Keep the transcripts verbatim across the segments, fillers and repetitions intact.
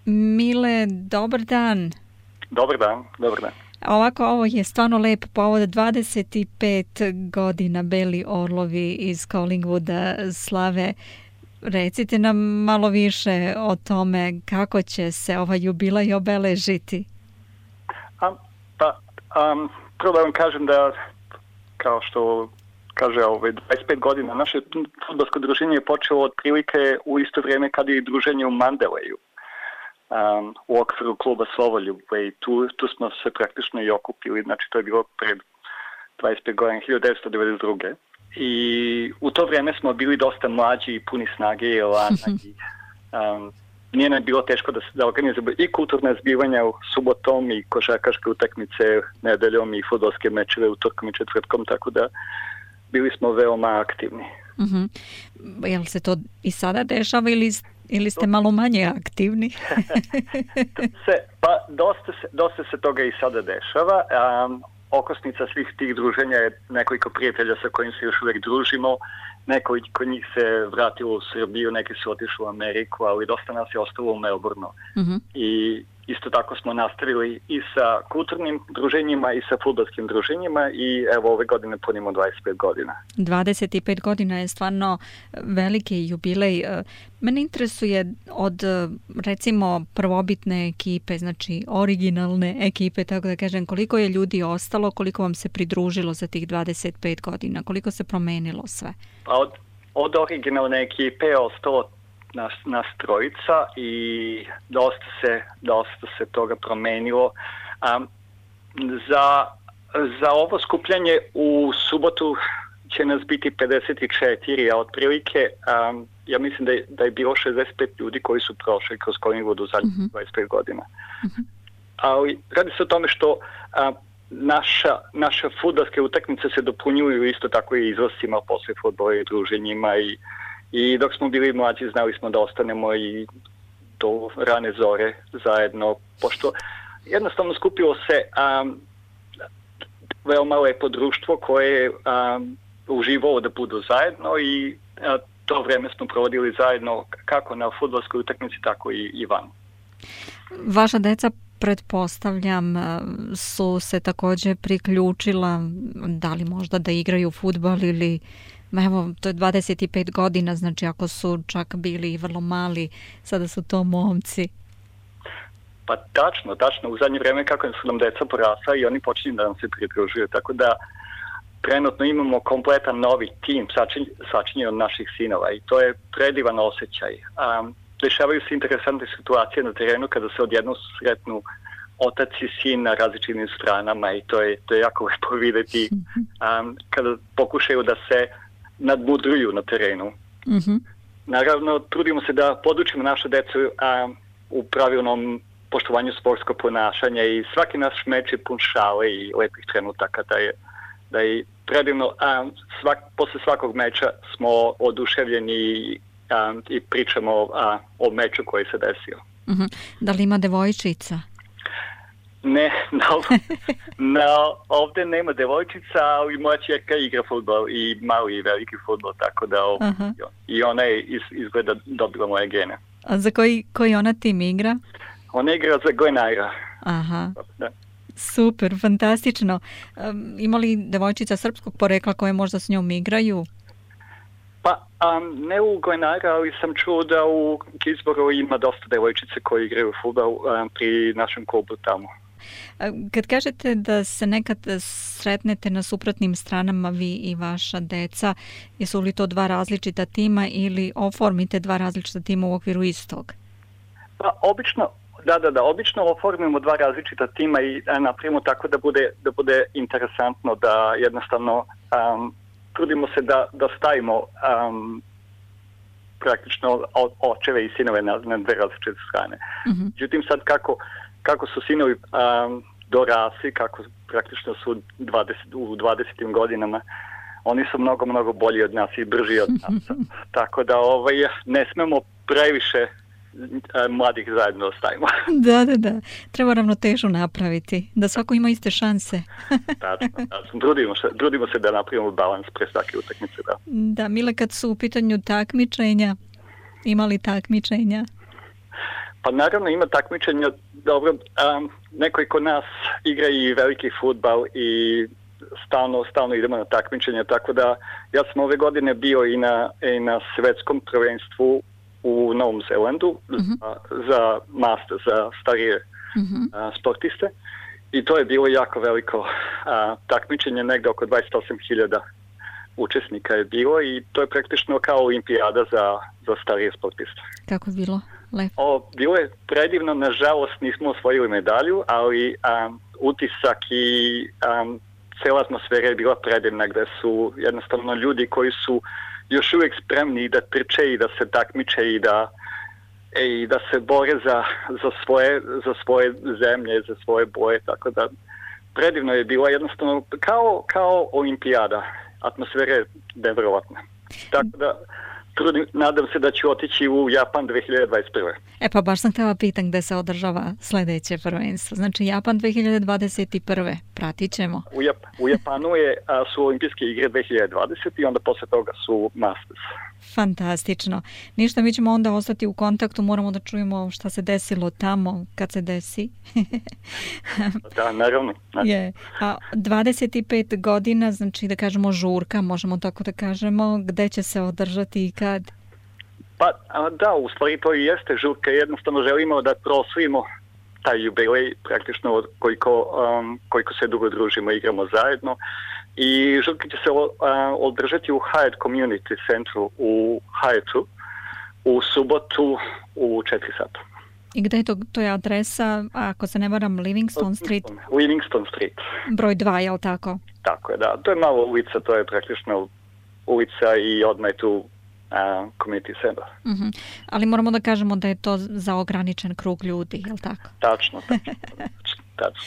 Mile, dobar dan. Dobar dan, dobar dan. Ovako, ovo je stvarno lep povod, dvadeset pet godina Beli orlovi iz Collingwooda slave. Recite nam malo više o tome kako će se ovaj jubilej obeležiti. A, pa, um, prvo da vam kažem da, kao što kaže ove dvadeset pet godina, naše fudbalsko druženje je počelo otprilike u isto vrijeme kad je i druženje u Mandaleju. Um, u okviru kluba Slovoljube i tu, tu smo se praktično i okupili, znači to je bilo pred dvadeset pet godina, hiljadu devetsto devedeset druge. I u to vrijeme smo bili dosta mlađi i puni snage i elana i um, nije nam bilo teško da se da organizujemo i kulturne zbivanja u subotom i košarkaške utakmice nedeljom i fudbalske mečeve utorkom i četvrtkom, tako da bili smo veoma aktivni. Uh-huh. Jel se to i sada dešava ili, ili ste malo manje aktivni? se, pa dosta se, dosta se toga i sada dešava. Um, okosnica svih tih druženja je nekoliko prijatelja sa kojim se još uvijek družimo. Nekoliko njih se vratilo u Srbiju, neki su otišli u Ameriku, ali dosta nas je ostalo u Melbourneu. Uh-huh. I isto tako smo nastavili i sa kulturnim druženjima i sa fudbalskim druženjima i evo ove godine punimo dvadeset pet godina. dvadeset pet godina je stvarno veliki jubilej. Mene interesuje od recimo prvobitne ekipe, znači originalne ekipe, tako da kažem, koliko je ljudi ostalo, koliko vam se pridružilo za tih dvadeset pet godina, koliko se promenilo sve? Pa od, od originalne ekipe je ostalo Nas, nas trojica i dosta se, dosta se toga promenilo. Um, za, za ovo skupljanje u subotu će nas biti pedeset četiri, a otprilike um, ja mislim da je, da je bilo šezdeset pet ljudi koji su prošli kroz Collingwood u zadnjih uh-huh. dvadeset pet godina. Uh-huh. Ali radi se o tome što um, naša, naše fudbalske utakmice se dopunjuju isto tako i izlascima posle fudbala i druženjima i I dok smo bili mlađi znali smo da ostanemo i do rane zore zajedno, pošto jednostavno skupilo se um, veoma lepo društvo koje je um, uživalo da budu zajedno i uh, to vreme smo provodili zajedno kako na fudbalskoj utakmici, tako i, i van. Vaša deca, pretpostavljam, su se također priključila, da li možda da igraju fudbal ili... Evo, to je dvadeset pet godina, znači ako su čak bili vrlo mali, sada su to momci. Pa tačno, tačno. U zadnje vrijeme kako su nam deca porasla i oni počinju da nam se pridružuju, tako da trenutno imamo kompletan novi tim sačinjen od naših sinova i to je predivan osjećaj. Um, dešavaju se interesantne situacije na terenu kada se odjednom sretnu otac i sin na različitim stranama i to je, to je jako lepo vidjeti um, kada pokušaju da se nadmudruju na terenu. Uh-huh. Naravno, trudimo se da podučimo našu decu a, u pravilnom poštovanju sportskog ponašanja i svaki naš meč je pun šale i lepih trenutaka da je, da je predivno. A, svak, posle svakog meča smo oduševljeni a, i pričamo a, o meču koji se desio. Uh-huh. Da li ima devojčica? Ne, no, no, ovdje nema devojčica, ali moja čerka igra fudbal i mali i veliki fudbal, tako da ov, i ona je iz, izgleda dobila moje gene. A za koji, koji ona tim igra? Ona igra za Glen Eira. Aha, da. Super, fantastično. Um, ima li devojčica srpskog porekla koje možda s njom igraju? Pa, um, ne u Glen Eira, ali sam čuo da u Gisboru ima dosta devojčice koji igraju fudbal um, pri našem klubu tamo. Kad kažete da se nekad sretnete na suprotnim stranama vi i vaša deca, jesu li to dva različita tima ili oformite dva različita tima u okviru istog? Pa obično, da, da, da, obično oformimo dva različita tima i napravimo tako da bude, da bude interesantno, da jednostavno um, trudimo se da, da stavimo um, praktično očeve i sinove na, na dve različite strane. Uh-huh. Međutim, sad kako kako su sinovi um, dorasli, kako praktično su dvadeset, u dvadesetim godinama, oni su mnogo, mnogo bolji od nas i brži od nas. Tako da ovaj, ne smemo previše mladih zajedno ostavimo. Da, da, da. Treba ravnotežu napraviti, da svako ima iste šanse. Tačno, tačno. Trudimo se, trudimo se da napravimo balans pre svake utakmice. Da. Da, Mile, kad su u pitanju takmičenja, ima li takmičenja? Pa naravno ima takmičenja, dobro, um, neko i kod nas igra i veliki fudbal i stalno, stalno idemo na takmičenja, tako da ja sam ove godine bio i na, i na svetskom prvenstvu u Novom Zelandu mm-hmm. za, za master, za starije mm-hmm. a, sportiste i to je bilo jako veliko a, takmičenje, negde oko dvadeset osam hiljada učesnika je bilo i to je praktično kao olimpijada za, za starije sportiste. Kako je bilo? Lepo. O, bilo je predivno, nažalost nismo osvojili medalju, ali um, utisak i um, cela atmosfera je bila predivna, gde su jednostavno ljudi koji su još uvijek spremni da trče i da se takmiče i da, e, i da se bore za, za, svoje, za svoje zemlje, za svoje boje, tako da predivno je bilo jednostavno kao, kao olimpijada. Atmosfera je nevjerovatna. Tako da trudim, nadam se da ću otići u Japan dve hiljade dvadeset prve. E pa baš sam htjela pitan gde se održava sljedeće prvenstvo. Znači Japan dve hiljade dvadeset prve. Pratit ćemo. U, Jap, u Japanu je, a, su olimpijske igre dve hiljade dvadesete i onda posle toga su Masters. Fantastično. Ništa, mi ćemo onda ostati u kontaktu, moramo da čujemo šta se desilo tamo kad se desi. Da, naravno. Je. A dvadeset pet godina, znači da kažemo žurka, možemo tako da kažemo, gde će se održati i kad? Pa da, u stvari to i jeste žurka, jednostavno želimo da proslavimo taj jubilej praktično od koliko, um, koliko se dugo družimo, igramo zajedno. I žurka će se uh, održati u Hyatt Community Centru u Hyattu u subotu u četiri sata. I gde je to? To je adresa, ako se ne varam, Livingston Street? Livingston Street. Broj dva, je li tako? Tako je, da. To je malo ulica, to je praktično ulica i odmah je tu Uh, community center. Uh-huh. Ali moramo da kažemo da je to za ograničen krug ljudi, je li tako? Tačno, tačno. tačno.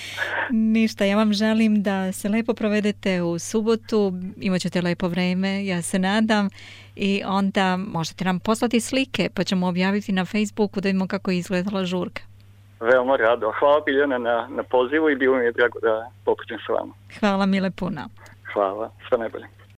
Ništa, ja vam želim da se lepo provedete u subotu, imat ćete lepo vreme, ja se nadam, i onda možete nam poslati slike, pa ćemo objaviti na Facebooku da vidimo kako je izgledala žurka. Veoma rado. Hvala Biljana na, na pozivu i bilo mi je drago da popričam sa vama. Hvala mile puno. Hvala, sve najbolje.